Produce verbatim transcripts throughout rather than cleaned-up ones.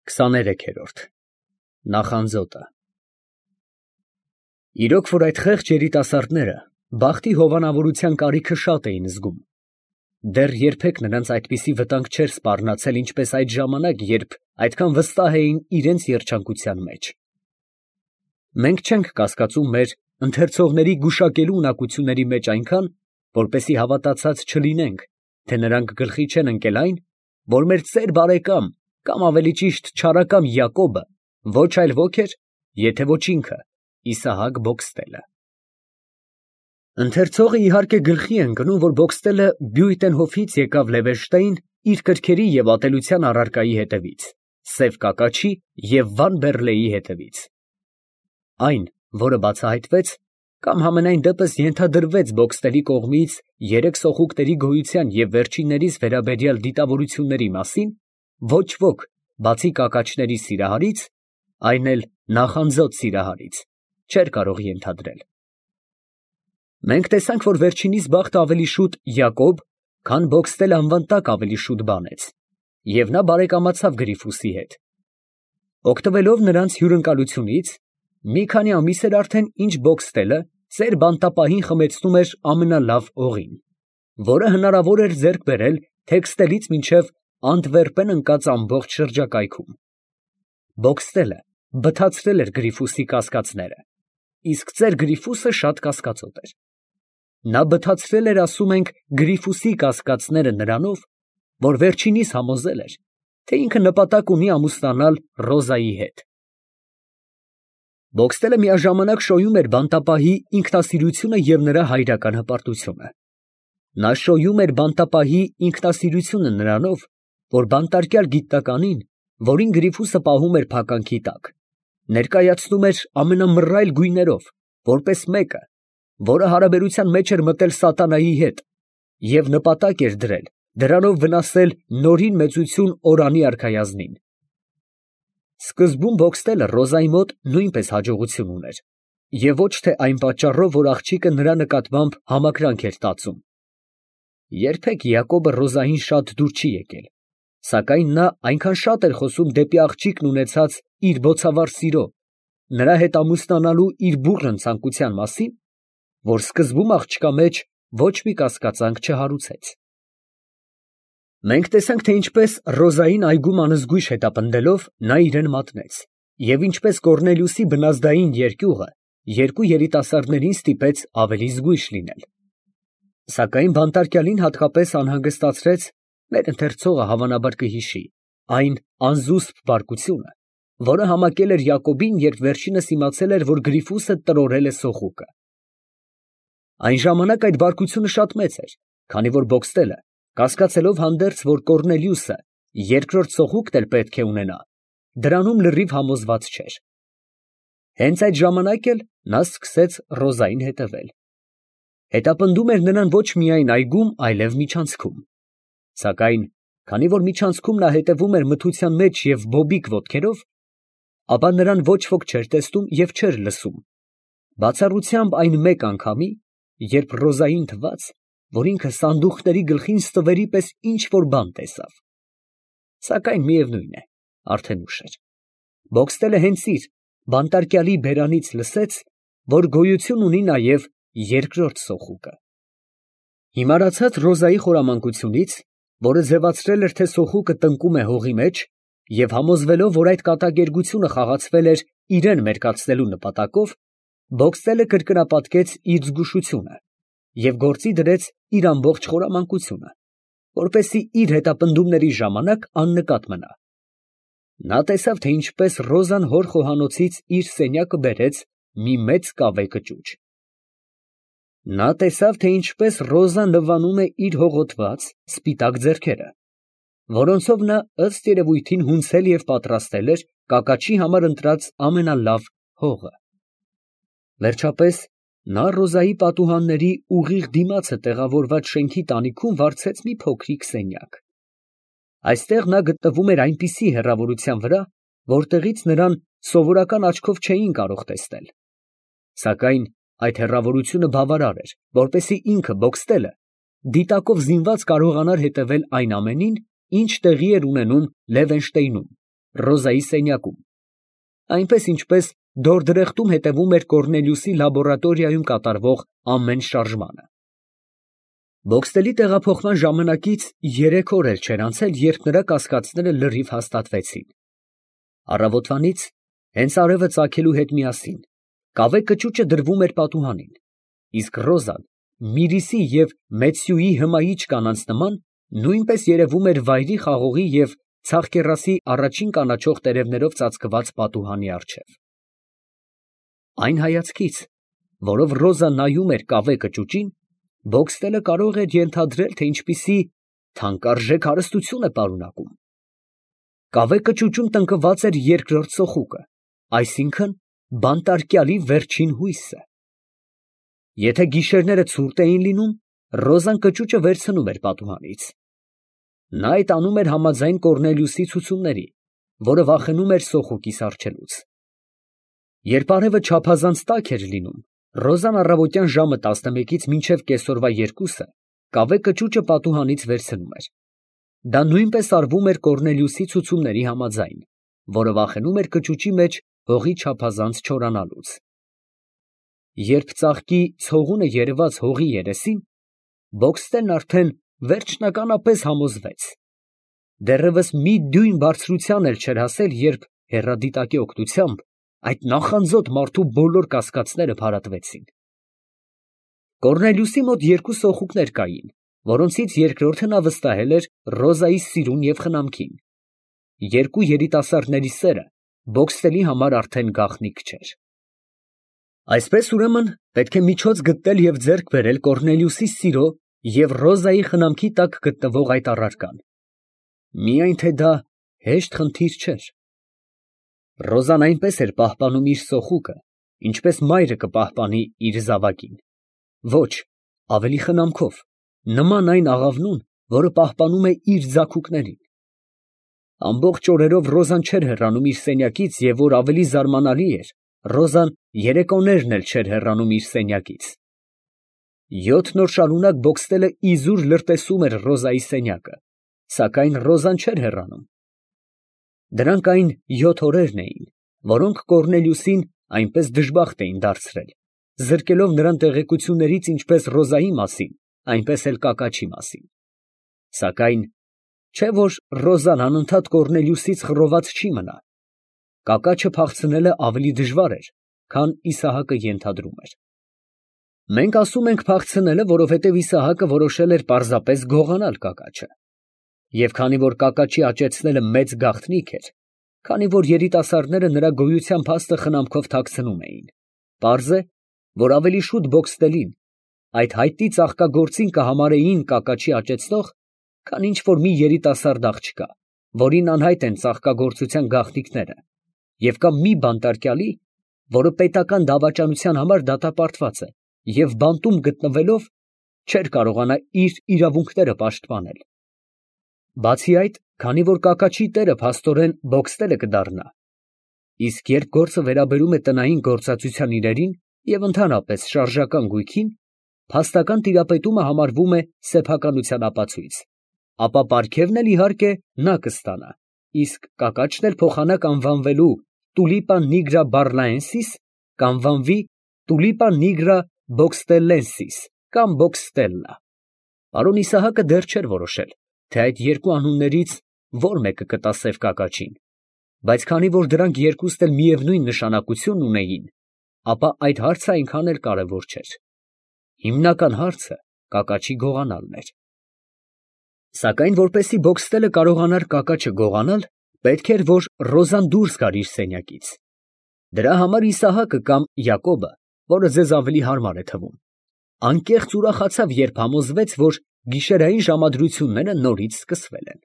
քսաներեքերորդ Նախանձոտը Իրոք որ այդ խեղճ երիտասարդները բախտի հովանավորության կարիքը շատ էին զգում, դեռ երբեք նրանց այդպիսի վտանգ չէր սպառնացել, ինչպես այդ ժամանակ, երբ այդքան վստահ էին իրանց երջանկության մեջ։ Մենք չենք կասկածում մեր ընթերցողների գուշակելու ունակությունների մեջ այնքան, որպեսզի հավատացած չլինենք, թե նրանք գլխի չեն ընկել այն, որ մեր ծեր բարեկամ, կամ ավելի ճիշտ չարակամ Յակոբը ոչ այլ ոք էր, եթե ոչ ինքը Իսահակ Բոքստելը։ Ընթերցողը իհարկե գլխի է ընկնում, որ Բոքստելը Բյուitenhofից եկավ Լևերշտեին իր կրքերի և ատելության առարկայի հետևից, սև կակաչի և վան բեռլեի հետևից։ Այն, որը բացահայտվեց, կամ համենայն դեպս ենթադրվեց Բոքստելի կողմից երեք սոխուկտերի գոյության և վերջիններիս վերաբերյալ դիտավորությունների մասին, ոչ ոք, բացի կակաչների սիրահարից, այն էլ նախանձոտ սիրահարից, չէր կարող ենթադրել։ Մենք տեսանք, որ վերջինիս բախտը ավելի շուտ Յակոբ, քան Բոքստել անվան տակ ավելի շուտ բանեց, և նա բարեկամացավ Գրիֆուսի հետ։ Օգտվելով նրանց հյուրընկալությունից, մի քանի ամիս էր արդեն, ինչ Բոքստելը ծեր բանտապահին խմեցնում էր ամենալավ օղին, որը հնարավոր էր ձեռք բերել Թեքստելից մինչև Անտվերպեն ընկած ամբողջ շրջակայքում։ Բոքստելը բթացրել էր Գրիֆուսի կասկածները, իսկ ծեր Գրիֆուսը շատ կասկածոտ էր։ Նա բթացրել էր, ասում ենք, Գրիֆուսի կասկածները նրանով, որ վերջինիս համոզել էր, թե ինքը նպատակ ունի ամուսնանալ Ռոզայի հետ։ Բոքստելը միաժամանակ շոյում էր բանտապահի ինքնասիրությունը և նրա հայրական հպարտությունը։ Նա շոյում էր բանտապահի ինքնասիրությունը նրանով, որ բանտարկյալ գիտնականին, որին Գրիֆուսը պահում էր փականքի տակ, ներկայացնում էր ամենամռայլ գույներով, որպես մեկը, որը հարաբերության մեջ էր մտել սատանայի հետ և նպատակ էր դրել դրանով վնասել նորին մեծություն Օրանի արքայազնին։ Սկզբում Բոքստելը Ռոզայի մոտ նույնպես հաջողություն ուներ, և ոչ թե այն պատճառով, որ աղջիկը նրա նկատմամբ համակրանք էր տածում։ Երբեք Յակոբը Ռոզային շատ դուր չի եկել, սակայն նա այնքան շատ էր խոսում դեպի աղջիկն ունեցած իր բոցավառ սիրո, նրա հետ ամուսնանալու իր բուռն ցանկության մասին, որ սկզբում աղջկա մեջ ոչ մի կասկածանք չհարուցեց։ Մենք տեսանք, թե ինչպես Ռոզային այգում անզգույշ հետապնդելով նա իրան մատնեց, և ինչպես Կոռնելիուսի բնազդային երկյուղը երկու երիտասարդներին ստիպեց ավելի զգույշ լինել։ Սակայն բանտարկյալին հատկապես անհանգստացրեց, մեր ընթերցողը հավանաբար կհիշի, այն անզուսպ բարկությունը, որը համակել էր Յակոբին, երբ վերջինս իմացել էր, որ Գրիֆուսը տրորել է սոխուկը։ Այն ժամանակ այդ բարկությունը շատ մեծ էր, քանի որ Բոքստելը, կասկածելով հանդերձ, որ Կոռնելիուսը երկրորդ սոխուկտ էլ պետք է ունենա, դրանում լրիվ համոզված չէր։ Հենց այդ ժամանակ էլ նա սկսեց Ռոզային հետևել։ Հետապնդում էր նրան ոչ միայն այգում, այլև միջանցքում։ Սակայն, քանի որ միջանցքում նա հետևում էր մթության մեջ և բոբիկ ոտքերով, ապա նրան ոչ ոք չէր տեսնում և չէր լսում, բացառությամբ այն մեկ անգամի, երբ Ռոզային թվաց, որ ինքը սանդուղքների գլխին ստվերի պես ինչ֊որ բան տեսավ։ Սակայն միևնույն է, արդեն ուշ էր։ Բոքստելը հենց իր բանտարկյալի բերանից լսեց, որ գոյություն ունի նաև երկրորդ սոխուկը։ Հիմարացած Ռոզայի խորամանկությունից, որը ձևացրել էր, թե սոխուկը տնկում է հողի մեջ, և համոզվելով, որ այդ կատակերգությունը խաղացվել էր իրան մերկացնելու նպատակով, Բոքստելը կրկնապատկեց իր զգուշությունը և գործի դրեց իր ամբողջ խորամանկությունը, որպեսզի իր հետապնդումների ժամանակ աննկատ մնա։ Նա տեսավ, թե ինչպես Ռոզան հոր խոհանոցից իր սենյակը բերեց մի մեծ կավե կճուճ։ Նա տեսավ, թե ինչպես Ռոզան լվանում է իր հողոտված սպիտակ ձեռքերը, որոնցով նա ըստ երևույթին հունցել և պատրաստել էր կակաչի համար ընտրած ամենալավ հողը։ Վերջապես նա Ռոզայի պատուհանների ուղիղ դիմացը տեղավորված շենքի տանիքում վարձեց մի փոքրիկ սենյակ։ Այստեղ նա գտնվում էր այնպիսի հեռավորության վրա, որտեղից նրան սովորական աչքով չէին կարող տեսնել։ Սակայն այդ հեռավորությունը բավարար էր, որպեսզի ինքը Բոքստելը դիտակով զինված կարողանար հետևել այն ամենին, ինչ տեղի էր ունենում Լևենշտեյնում, Ռոզայի սենյակում, այնպես ինչպես դորդրեխտում հետևում էր Կոռնելիուսի լաբորատորիայում կատարվող ամեն շարժմանը։ Բոքստելի տեղափոխման ժամանակից երեք օր էլ չէր անցել, երբ նրա կասկածները լրիվ հաստատվեցին։ Առավոտվանից, հենց արևը ծագելու հետ միասին, կավե կճուճը դրվում էր պատուհանին, իսկ Ռոզան Միրիսի և Մեծյուի հմայիչ կանանց նման նույնպես երևում էր վայրի խաղողի և ցախկեռասի առաջին կանաչող տերևներով ծածկված պատուհանի առջև։ Այն հայացքից, որով Ռոզան նայում էր կավե կճուճին, Բոքստելը կարող էր ենթադրել, թե ինչպիսի թանկարժեք հարստություն է պարունակում։ Կավե կճուճում տնկված էր երկրորդ սոխուկը, այսինքն բանտարկյալի վերջին հույսը։ Եթե գիշերները ցուրտ էին լինում, Ռոզան կճուճը վերցնում էր պատուհանից։ Նա այդ անում էր համաձայն Կոռնելիուսի ցուցումների, որը վախենում էր սոխուկի սառչելուց։ Երբ արևը չափազանց տաք էր լինում, Ռոզան առավոտյան ժամը տասնմեկից մինչև կեսօրվա երկուսը կավե կճուճը պատուհանից վերցնում էր։ Դա նույնպես արվում էր Կոռնելիուսի ցուցումների համաձայն, որը վախենում էր կճուճի մեջ հողի չափազանց չորանալուց։ Երբ ծաղկի ցողունը երևաց հողի երեսին, Բոքստելն արդեն վերջնականապես համոզվեց։ Դեռևս մի դյույն բարձրության էլ չէր հասել, երբ հեռադիտակի օգնությամբ այդ նախանձոտ մարդու բոլոր կասկածները փարատվեցին։ Կոռնելիուսի մոտ երկու սոխուկներ կային, որոնցից երկրորդը նա վստահել էր Ռոզայի սիրուն և խնամքին։ Երկու երիտասարդների սերը Բոքստելի համար արդեն գաղտնիք չէր։ Այսպես ուրեմն պետք է միջոց գտնել և ձեռք բերել Կոռնելիուսի սիրո և Ռոզայի խնամքի տակ գտնվող այդ առարկան։ Միայն թե դա հեշտ խնդիր չէր։ Ռոզան այնպես էր պահպանում իր սոխուկը, ինչպես մայրը կպահպանի իր զավակին։ Ոչ, ավելի խնամքով, նման այն աղավնուն, որը պահպանում է իր ձագուկներին։ Ամբողջ օրերով Ռոզան չէր հեռանում իր սենյակից, և որ ավելի զարմանալի էր, Ռոզան երեկոներն էլ չէր հեռանում իր սենյակից։ Յոթ օր շարունակ Բոքստելը իզուր լրտեսում էր Ռոզայի սենյակը, սակայն Ռոզան չէր հեռանում։ Դրանք այն յոթ օրերն էին, որոնք Կոռնելիուսին այնպես դժբախտ էին դարձրել, զրկելով նրան տեղեկություններից ինչպես Ռոզայի մասին, այնպես էլ կակաչի մասին։ Սակայն չէ՞ որ Ռոզան անընդհատ Կոռնելիուսից խռոված չի մնա։ Կակաչը փախցնելը ավելի դժվար էր, քան Իսահակը ենթադրում էր։ Մենք ասում ենք փախցնելը, որովհետև Իսահակը որոշել էր պարզապես գողանալ կակաչը։ Եվ քանի որ կակաչի աճեցնելը մեծ գաղտնիք էր, քանի որ երիտասարդները նրա գոյության փաստը խնամքով թաքցնում էին, պարզ է, որ ավելի շուտ Բոքստելին այդ հայտնի ծաղկագործին կհամարեին կակաչի աճեցնող, քան ինչ որ մի երիտասարդ աղջկա, որին անհայտ են ծաղկագործության գաղտնիքները, և կամ մի բանտարկյալի, որը պետական դավաճանության համար դատապարտված է և բանտում գտնվելով չէր կարողանա իր իրավունքները պաշտպանել։ Բացի այդ, քանի որ կակաչի տերը փաստորեն Բոքստելը կդառնա, իսկ երբ գործը վերաբերում է տնային գործածության իրերին և ընդհանրապես շարժական գույքին, փաստական տիրապետումը համարվում է սեփականության ապացույց, ապա պարգևն էլ իհարկե նա կստանա, իսկ կակաչն էլ փոխանակ անվանվելու Tulipa nigra barlaensis կանվանվի Tulipa nigra boxtellensis կամ Boxtella։ Պարոն Իսահակը դեռ չէր որոշել, թե այդ երկու անուններից որ մեկը կտա սև կակաչին, բայց քանի որ դրանք երկուստ էլ միևնույն նշանակություն ունեին, ապա այդ հարցը այնքան էլ կարևոր չէր։ Հիմնական հարցը կակաչի գողանալն էր։ Սակայն որպեսզի Բոքստելը կարողանար կակաչը գողանալ, պետք էր, որ Ռոզան դուրս գար իր սենյակից։ Դրա համար Իսահակը կամ Յակոբը, որը ձեզ ավելի հարմար է թվում, անկեղծ ուրախացավ, երբ համոզվեց, որ գիշերային ժամադրությունները նորից սկսվել են։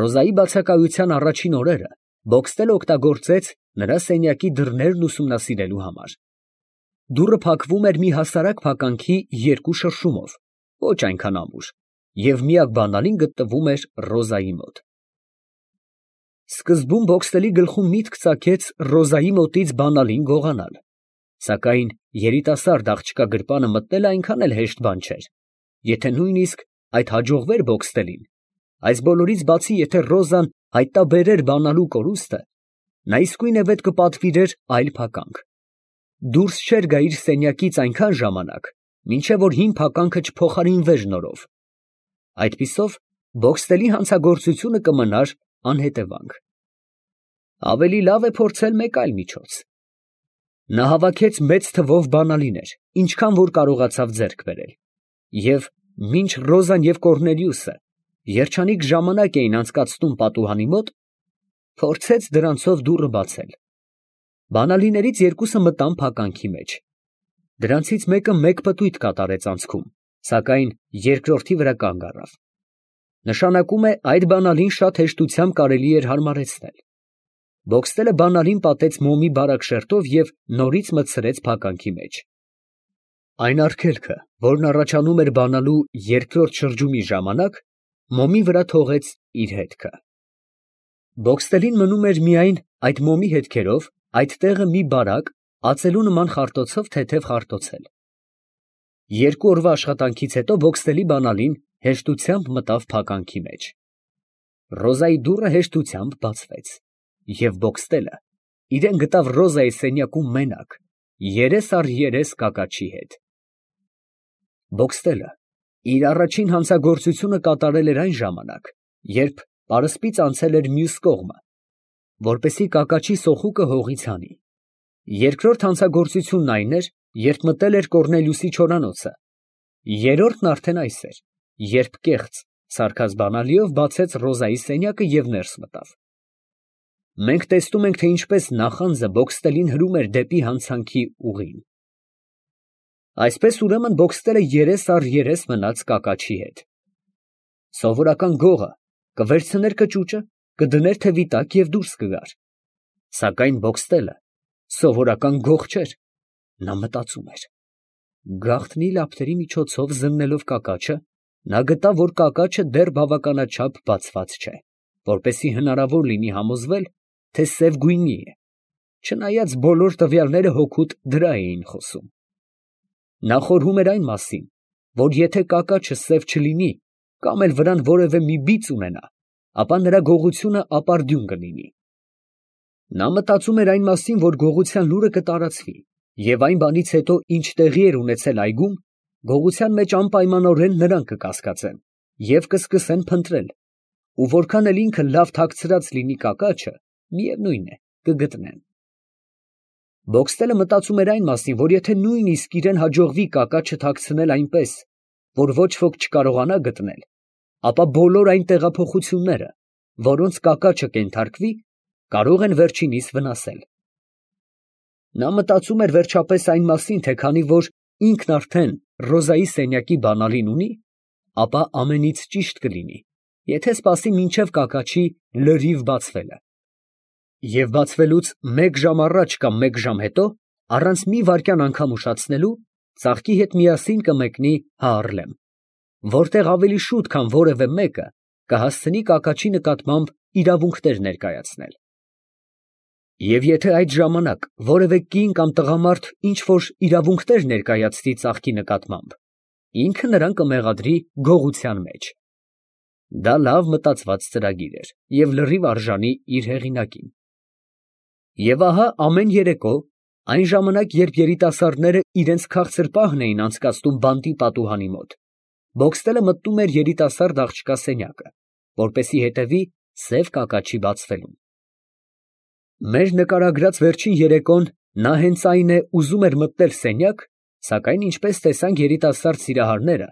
Ռոզայի բացակայության առաջին օրերը Բոքստելը օգտագործեց նրա սենյակի դռներն ուսումնասիրելու համար։ Դուռը փակվում էր մի հասարակ փականքի երկու շրշումով, ոչ այնքան ամուր, և միակ բանալին գտնվում էր Ռոզայի մոտ։ Սկզբում Բոքստելի գլխում միտք ծագեց Ռոզայի մոտից բանալին գողանալ, սակայն երիտասարդ աղջկա գրպանը մտնելը այնքան էլ հեշտ բան չէր, եթե նույնիսկ այդ հաջողվեր Բոքստելին, Այս բոլորից բացի, եթե Ռոզան հայտնաբերեր բանալու կորուստը, նա իսկույն վետ կպատվիրեր այլ փականք. դուրս չէր գա իր սենյակից այնքան ժամանակ, մինչև որ հին փականքը չփոխարինվեր նորով. այդպիսով Բոքստելի հանցագործությունը կմնար անհետևանք։ Ավելի լավ է փորձել մեկ այլ միջոց։ Նա հավաքեց մեծ թվով բանալիներ, ինչքան որ կարողացավ ձեռք բերել, և մինչ Ռոզան և Կոռնելիուսը երջանիկ ժամանակ էին անցկացնում պատուհանի մոտ, փորձեց դրանցով դուռը բացել։ Բանալիներից երկուսը մտան փականքի մեջ։ Դրանցից մեկը մեկ պտույտ կատարեց անցքում, սակայն երկրորդի վրա կանգ առավ։ Նշանակում է, այդ բանալին շատ հեշտությամբ կարելի էր հարմարեցնել։ Բոքստելը բանալին պատեց մոմի բարակ շերտով և նորից մտցրեց փականքի մեջ։ Այն արգելքը, որն առաջանում էր բանալու երկրորդ շրջումի ժամանակ, մոմի վրա թողեց իր հետքը։ Բոքստելին մնում էր միայն այդ մոմի հետքերով այդ տեղը մի բարակ, ածելու նման խարտոցով թեթև խարտոցել։ Երկու օրվա աշխատանքից հետո Բոքստելի բանալին հեշտությամբ մտավ փականքի մեջ։ Ռոզայի դուռը հեշտությամբ բացվեց, և Բոքստելը իրեն գտավ Ռոզայի սենյակում մենակ, երես առ երես կակաչի հետ։ Բոքստելը իր առաջին հանցագործությունը կատարել էր այն ժամանակ, երբ պարսպից անցել էր մյուս կողմը, որպեսզի կակաչի սոխուկը հողից հանի։ Երկրորդ հանցագործությունն այն էր, երբ մտել էր Կոռնելիուսի չորանոցը։ Երրորդն արդեն այս էր, երբ կեղծ, սարքած բանալիով բացեց Ռոզայի սենյակը և ներս մտավ։ Մենք տեսնում ենք, թե ինչպես նախանձը Բոքստելին հրում էր դեպի հանցանքի ուղին։ Այսպես ուրեմն Բոքստելը երես առ երես մնաց կակաչի հետ։ Սովորական գողը կվերցներ կճուճը, կդներ թևի տակ և դուրս կգար։ Սակայն Բոքստելը սովորական գող չէր։ Նա մտածում էր։ Գաղտնի լապտերի միջոցով զննելով կակաչը, նա գտավ, որ կակաչը դեռ բավականաչափ բացված չէ, որպեսզի հնարավոր լինի համոզվել, թե սև գույնի է, չնայած բոլոր տվյալները հօգուտ դրա էին խոսում։ Նա խորհում էր այն մասին, որ եթե կակաչը սև չլինի, կամ էլ վրան որևէ մի բիծ ունենա, ապա նրա գողությունը ապարդյուն կլինի։ Նա մտածում էր այն մասին, որ գողության լուրը կտարածվի, և այն բանից հետո, ինչ տեղի էր ունեցել այգում, գողության մեջ անպայմանորեն նրանք կկասկածեն և կսկսեն փնտրել, ու որքան էլ ինքը լավ թաքցրած լինի կակաչը, միևնույն է, կգտնեն։ Բոքստելը մտածում էր այն մասին, որ եթե նույնիսկ իրան հաջողվի կակաչը թաքցնել այնպես, որ ոչ ոք չկարողանա գտնել, ապա բոլոր այն տեղափոխությունները, որոնց կակաչը կենթարկվի, կարող են վերջինիս վնասել։ Նա մտածում էր վերջապես այն մասին, թե քանի որ ինքն արդեն Ռոզայի սենյակի բանալին ունի, ապա ամենից ճիշտ կլինի, եթե սպասի մինչև կակաչի լրիվ բացվելը։ Եվ բացվելուց մեկ ժամ առաջ կամ մեկ ժամ հետո, առանց մի վայրկյան անգամ ուշացնելու, ծաղկի հետ միասին կմեկնի Հայառլեմ, որտեղ ավելի շուտ, քան որևէ մեկը, կհասցնի կակաչի նկատմամբ իրավունքներ ներկայացնել։ Եվ եթե այդ ժամանակ որևէ կին կամ տղամարդ ինչ-որ իրավունքներ ներկայացնի ծաղկի նկատմամբ, ինքը նրան կմեղադրի գողության մեջ։ Դա լավ մտածված ծրագիր էր և լրիվ արժանի իր հեղինակին։ Եվ ահա ամեն երեկո, այն ժամանակ, երբ երիտասարդները իրենց քաղցր պահն էին անցկացնում բանտի պատուհանի մոտ, Բոքստելը մտնում էր երիտասարդ աղջկա սենյակը, որպեսզի հետևի սև կակաչի բացվելուն։ Մեր նկարագրած վերջին երեկոն նա հենց այն է ուզում էր մտնել սենյակ, սակայն ինչպես տեսանք երիտասարդ սիրահարները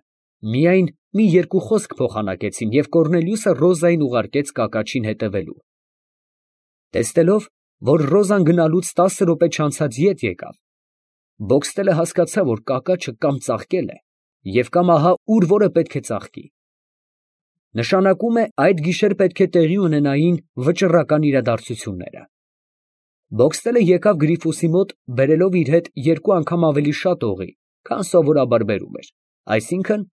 միայն մի երկու խոսք փոխանակեցին և Կոռնելիուսը Ռոզային ուղարկեց կակաչին հետևելու։ Տեսնելով, որ Ռոզան գնալուց տասը րոպե չանցած ետ եկավ, Բոքստելը հասկացավ, որ կակաչը կամ ծաղկել է և կամ ահա ուր որը պետք է ծաղկի։ Նշանակում է, այդ գիշեր պետք է տեղի ունենային վճռական իրադարձությունները։ Բոքստելը եկավ Գրիֆուսի մոտ, բերելով իր հետ երկու անգամ ավելի շատ օղի, քան սովորաբար բերում էր, այսինքն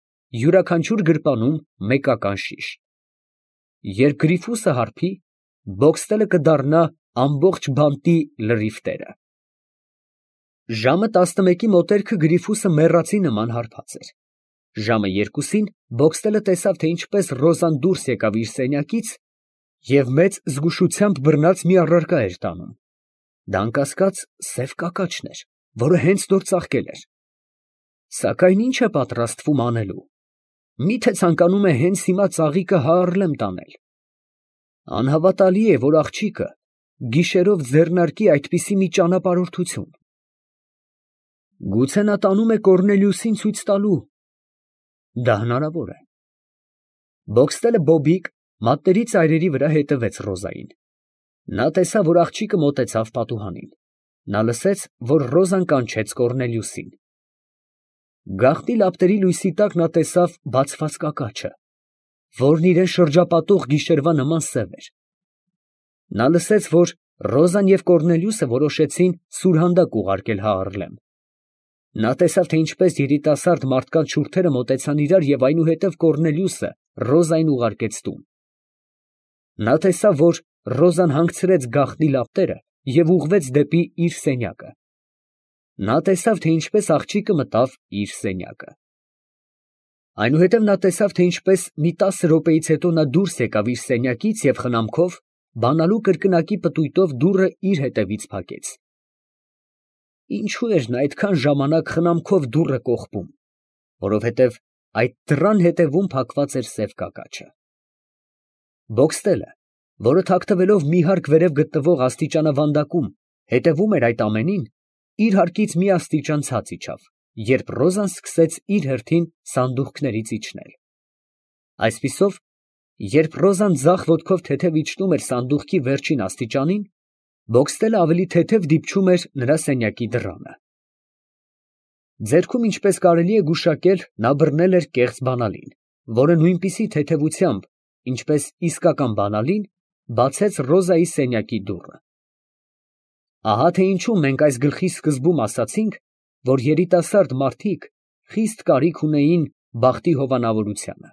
յուրաքանչյուր գրպանում մեկական շիշ։ Երբ Գրիֆուսը հարբի, Բոքստելը կդառնա ամբողջ բանտի լրիվ տերը։ Ժամը տասնմեկի մոտերքը Գրիֆուսը մեռածի նման հարբած էր։ Ժամը երկուսին Բոքստելը տեսավ, թե ինչպես Ռոզան դուրս եկավ իր սենյակից և մեծ զգուշությամբ բռնած մի առարկա էր տանում. դա անկասկած սև կակաչն էր, որը հենց նոր ծաղկել էր։ Սակայն ի՞նչ է պատրաստվում անելու։ Մի՞թե ցանկանում է հենց հիմա ծաղիկը Հաառլեմ տանել։ Անհավատալի է, որ աղջիկը գիշերով ձեռնարկի այդպիսի մի ճանապարհորդություն։ Գուցե նա տանում է Կոռնելիուսին ցույց տալու։ Դա հնարավոր է։ Բոքստելը բոբիկ մատների ծայրերի վրա հետևեց Ռոզային։ Նա տեսավ, որ աղջիկը մոտեցավ պատուհանին։ Նա լսեց, որ Ռոզան կանչեց Կոռնելիուսին։ Գաղտնի լապտերի լույսի տակ նա տեսավ բացված կակաչը, որն իրան շրջապատող գիշերվա նման սև էր։ Նա լսեց, որ Ռոզան և Կոռնելիուսը որոշեցին սուրհանդակ ուղարկել Հաառլեմ։ Նա տեսավ, թե ինչպես երիտասարդ մարդկանց շուրթերը մոտեցան իրար և այնուհետև Կոռնելիուսը Ռոզային ուղարկեց տուն։ Նա տեսավ, որ Ռոզան հանգցրեց գաղտնի լապտերը և ուղղվեց դեպի իր սենյակը։ Նա տեսավ, թե ինչպես աղջիկը մտավ իր սենյակը։ Այնուհետև նա տեսավ, թե ինչպես մի տասը րոպեից հետո նա դուրս եկավ իր սենյակից և խնամքով, բանալու կրկնակի պտույտով դուռը իր հետևից փակեց։ Ինչո՞ւ էր նա այդքան ժամանակ խնամքով դուռը կողպում, որովհետև այդ դռան հետևում փակված էր սև կակաչը։ Բոքստելը, որը թաքնվելով մի հարկ վերև գտնվող աստիճանավանդակում հետևում էր այդ ամենին, իր հարկից մի աստիճան ցած իջավ, երբ Ռոզան սկսեց իր հերթին սանդուղքներից իջնել։ Այսպիսով, երբ Ռոզան ձախ ոտքով թեթև իջնում էր սանդուղքի վերջին աստիճանին, Բոքստելը ավելի թեթև դիպչում էր նրա սենյակի դռանը։ Ձեռքում, ինչպես կարելի է գուշակել, նա բռնել էր կեղծ բանալին, որը նույնպիսի թեթևությամբ, ինչպես իսկական բանալին, բացեց Ռոզայի սենյակի դուռը։ Ահա թե ինչու մենք այս գլխի սկզբում ասացինք, որ երիտասարդ մարդիկ խիստ կարիք ունեին բախտի հովանավորությանը։